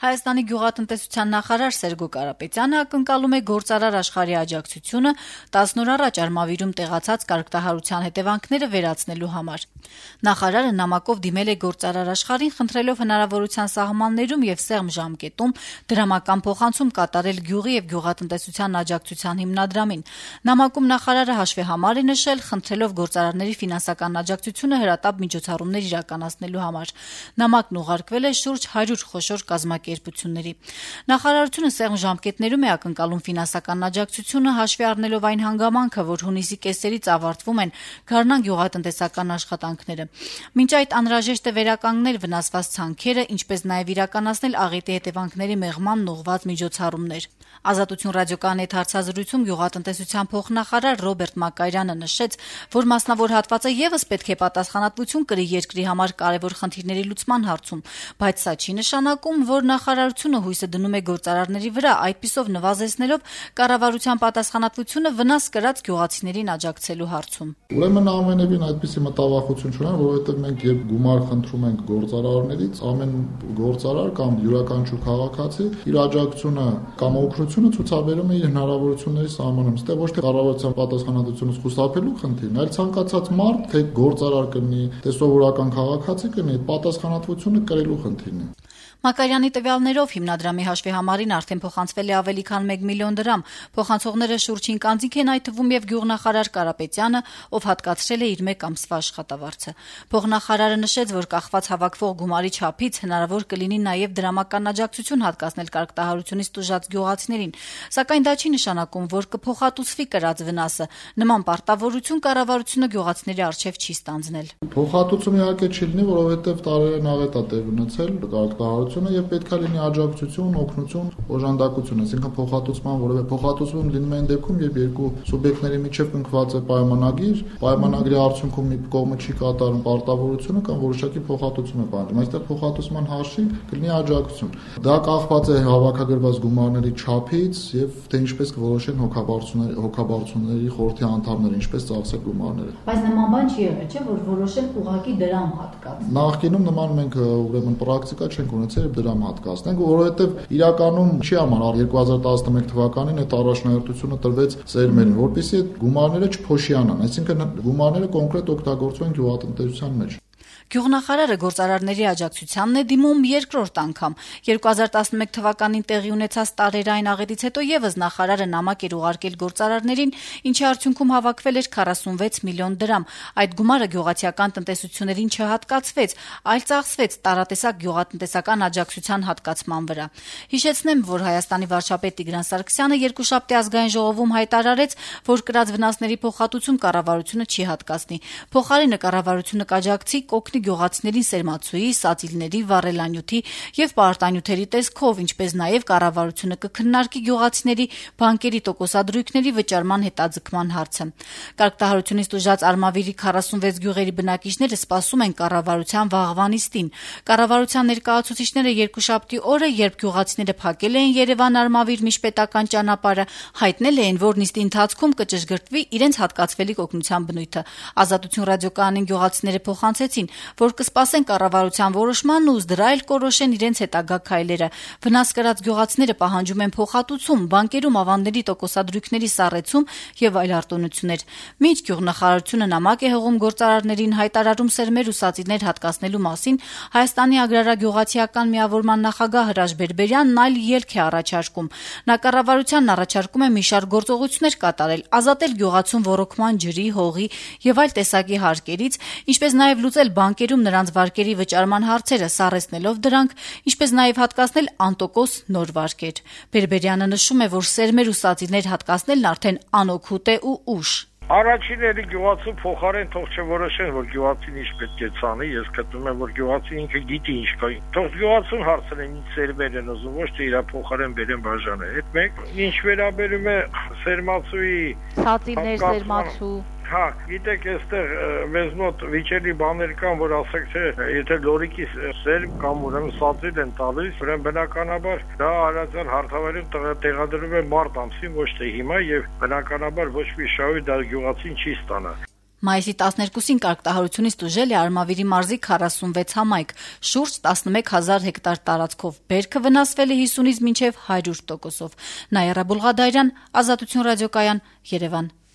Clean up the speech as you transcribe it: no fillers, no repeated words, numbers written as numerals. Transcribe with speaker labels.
Speaker 1: Հայաստանի գյուղատնտեսության նախարար Սերգո Կարապետյանը ակնկալում է գործարար աշխարհի աջակցությունը 10 օր առաջ Արմավիրում տեղացած կարգտահարության հետևանքները վերացնելու համար։ Նախարարը նամակով դիմել է գործարար աշխարհին, խնդրելով հնարավորության սահմաններում եւ սեղմ ժամկետում դրամական փոխանցում կատարել գյուղի եւ գյուղատնտեսության աջակցության հիմնադրամին։ Նամակում նախարարը հաշվի համար է նշել, խնդրելով գործարարների ֆինանսական աջակցությունը հրատապ միջոցառումներ իրականացնելու համար։ Նամակն ուղարկվել է շուրջ 100 խոշոր կազմակերպությունների։ Նախարարությունը սեղմ ժամկետներում է ակնկալում ֆինանսական աջակցությունը, հաշվի առնելով այն հանգամանքը, որ հունիսի կեսերից ավարտվում են Գառնան գյուղատնտեսական աշխատանքները։ Մինչ այդ անհրաժեշտ է վերականգնել վնասված ցանքերը, ինչպես նաև իրականացնել աղետի հետևանքների մեղմանն ուղղված միջոցառումներ։ Ազատություն ռադիոկայանի հետ հարցազրույցում գյուղատնտեսության փոխնախարար Ռոբերտ Մակարյանը նշեց, որ մասնավոր հատվածը եւս պետք է պատասխանատվություն կրի երկրի համար կարևոր խնդիրների լուծման հարցում, բայց սա չի նշանակում, որ նախարարությունը հույսը դնում է գործարարների վրա, այդպիսով նվազեցնելով կառավարության պատասխանատվությունը վնաս կրած գյուղացիներին աջակցելու հարցում։
Speaker 2: Ուրեմն ամենևին այդպիսի մտավախություն չունեն, որովհետև մենք երբ գումար խնդրում ենք գործարարներից, ամեն գործարար կամ յուրաքանչյուր քաղաքացի իր աջակցությունը կամ օգնությունը ցուցաբերում է իր հնարավորությունների սահմանում։ Ստե ոչ թե կառավարության պատասխանատվությունը խուսափելու խնդիրն, այլ ցանկացած մարդ, թե գործարար կլինի, թե սովորական քաղաքացի կլինի, պատասխանատվությունը կրելու խնդիրն է։
Speaker 1: Մակարյանի տվյալներով հիմնադրամի հաշվի համարին արդեն փոխանցվել է ավելի քան 1 միլիոն դրամ։ Փոխանցողները շուրջ 5 անձինք են, այդ թվում եւ գյուղնախարար Կարապետյանը, ով հատկացրել է իր 1 ամսվա աշխատավարձը։ Փոխնախարարը նշեց, որ կախված հավաքվող գումարի չափից հնարավոր կլինի նաեւ դրամական աջակցություն հատկացնել կարգտահարությունից տուժած գյուղացիներին, սակայն դա չի նշանակում, որ կփոխհատուցվի կրած վնասը։ Նման պարտավորություն կառավարությունը գյուղացիների առջեւ չի ստանձնել։
Speaker 2: Փոխհատուցում իհարկե չի լինի, որովհետեւ տարերեն աղետ է տեղ ունեցել կարգտահարությունը եւ պետքա լինի աջակցություն, օգնություն, օժանդակություն, այսինքն փոխհատուցման որևէ փոխհատուցում լինում է այն դեպքում, երբ երկու սուբյեկտների միջև կնքված է պայմանագիր, պայմանագրի արդյունքում մի կողմը չի կատարում պարտավորությունը կամ որոշակի փոխհատուցում է բանջում։ Այստեղ փոխհատուցման հաշվին կլինի աջակցություն։ Դա կախված է հավաքագրված գումարների չափից եւ թե ինչպես կորոշեն հոգաբարձությունների խորհրդի անդամները, ինչպես ծախսել գումարները։
Speaker 1: Բայց նման բան չի եղել, չէ՞, որ որոշեն ուղղակի դրամ հատկած։
Speaker 2: Նախկինում նման մենք ուրեմն պրակտիկա չենք ունեցել դրամ հատկացնենք, որովհետև իրականում չի համար 2011 թվականին այդ առաջնահերթությունը տրվեց սերմերին, որպեսզի այդ գումարները չփոշիանան, այսինքն գումարները կոնկրետ օգտագործվեն գյուղատնտեսության մեջ։
Speaker 1: Գյուղնախարարը գործարարների աջակցությանն է դիմում երկրորդ անգամ։ 2011 թվականին տեղի ունեցած տարերային աղետից հետո եւս նախարարը նամակ էր ուղարկել գործարարներին, ինչի արդյունքում հավաքվել էր 46 միլիոն դրամ։ Այդ գումարը գյուղացիական տնտեսություններին չհատկացվեց, այլ ծախսվեց տարատեսակ գյուղատնտեսական աջակցության հատկացման վրա։ Հիշեցնեմ, որ Հայաստանի վարչապետ Տիգրան Սարգսյանը երկուշաբթի ազգային ժողովում հայտարարեց, որ կրած վնասների փոխհատուցում կառավարությունը չի հատկացնի։ Փոխարենը կառավարությունը կաջակցի կօգնի գյուղացիներին սերմացուի, սածիլների, վառելանյութի եւ պարտանյութերի տեսքով, ինչպես նաեւ կառավարությունը կքննարկի գյուղացիների բանկերի տոկոսադրույքների վճարման հետաձգման հարցը։ Կարգտահարությունից տուժած Արմավիրի 46 գյուղերի բնակիչները սպասում են կառավարության վաղվա նիստին։ Կառավարության ներկայացուցիչները երկուշաբթի օրը, երբ գյուղացիները փակել էին Երևան-Արմավիր միջպետական ճանապարհը, հայտնել էին, որ նիստի ընթացքում կճշգրտվի իրենց հատկացվելիք օգնության բնույթը։ Ազատություն ռադիոկայանին գյուղացիները փոխանցեցին, որ կսպասեն կառավարության որոշմանն ու դրա էլ կորոշեն իրենց հետագա քայլերը։ Վնաս կրած գյուղացիները պահանջում են փոխհատուցում, բանկերում ավանդների տոկոսադրույքների սառեցում եւ այլ արտոնություններ։ Մինչ գյուղնախարարությունը նամակ է հղում գործարարներին հայտարարում սերմեր ու սածիլներ հատկացնելու մասին, Հայաստանի agrarագյուղացիական միավորման նախագահ Հրաշ Բերբերյանն այլ ելք է առաջարկում։ Նա կառավարությանն առաջարկում է մի շարք գործողություններ կատարել, ազատել գյուղացուն ոռոգման ջրի, հողի եւ այլ տեսակի հարկերից, ինչպես նաեւ լուծել բանկերում նրանց վարկերի վճարման հարցերը, սառեցնելով դրանք, ինչպես նաեւ հատկացնել անտոկոս նոր վարկեր։ Բերբերյանը նշում է, որ սերմեր ու սածիլներ հատկացնելն արդեն անօգուտ է ու ուշ։
Speaker 3: Առաջինը գյուղացու փոխարեն թող չորոշեն, որ գյուղացին ինչ պետք է ցանի, ես գտնում եմ, որ գյուղացին ինքը գիտի ինչ կա։ Թող գյուղացուն հարցնեն ինչ սերմեր են ուզում, ոչ թե իր փոխարեն բերեն բաժանը։ Այդ մեկ, ինչ վերաբերում է սերմացուի,
Speaker 1: սածիլներ, սերմացու
Speaker 3: Հա, գիտեք, այստեղ մեզ մոտ վիճելի բաներ կան, որ ասեք թե եթե լորիկի սերմ կամ ուրեմն սածիլ են տալիս, ուրեմն բնականաբար դա հարազատ հարթավայրում տեղադրվում է մարտ ամսին, ոչ թե հիմա եւ բնականաբար ոչ մի շահույթ դա գյուղացին չի ստանա։
Speaker 1: Մայիսի 12-ին կարգտահարությունից տուժել է Արմավիրի մարզի 46 համայնք, շուրջ 11,000 հեկտար տարածքով, բերքը վնասվել է 50-ից մինչև 100%-ով։ Նայարա Բուլղադարյան, Ազատություն ռադիոկայան, Երևան։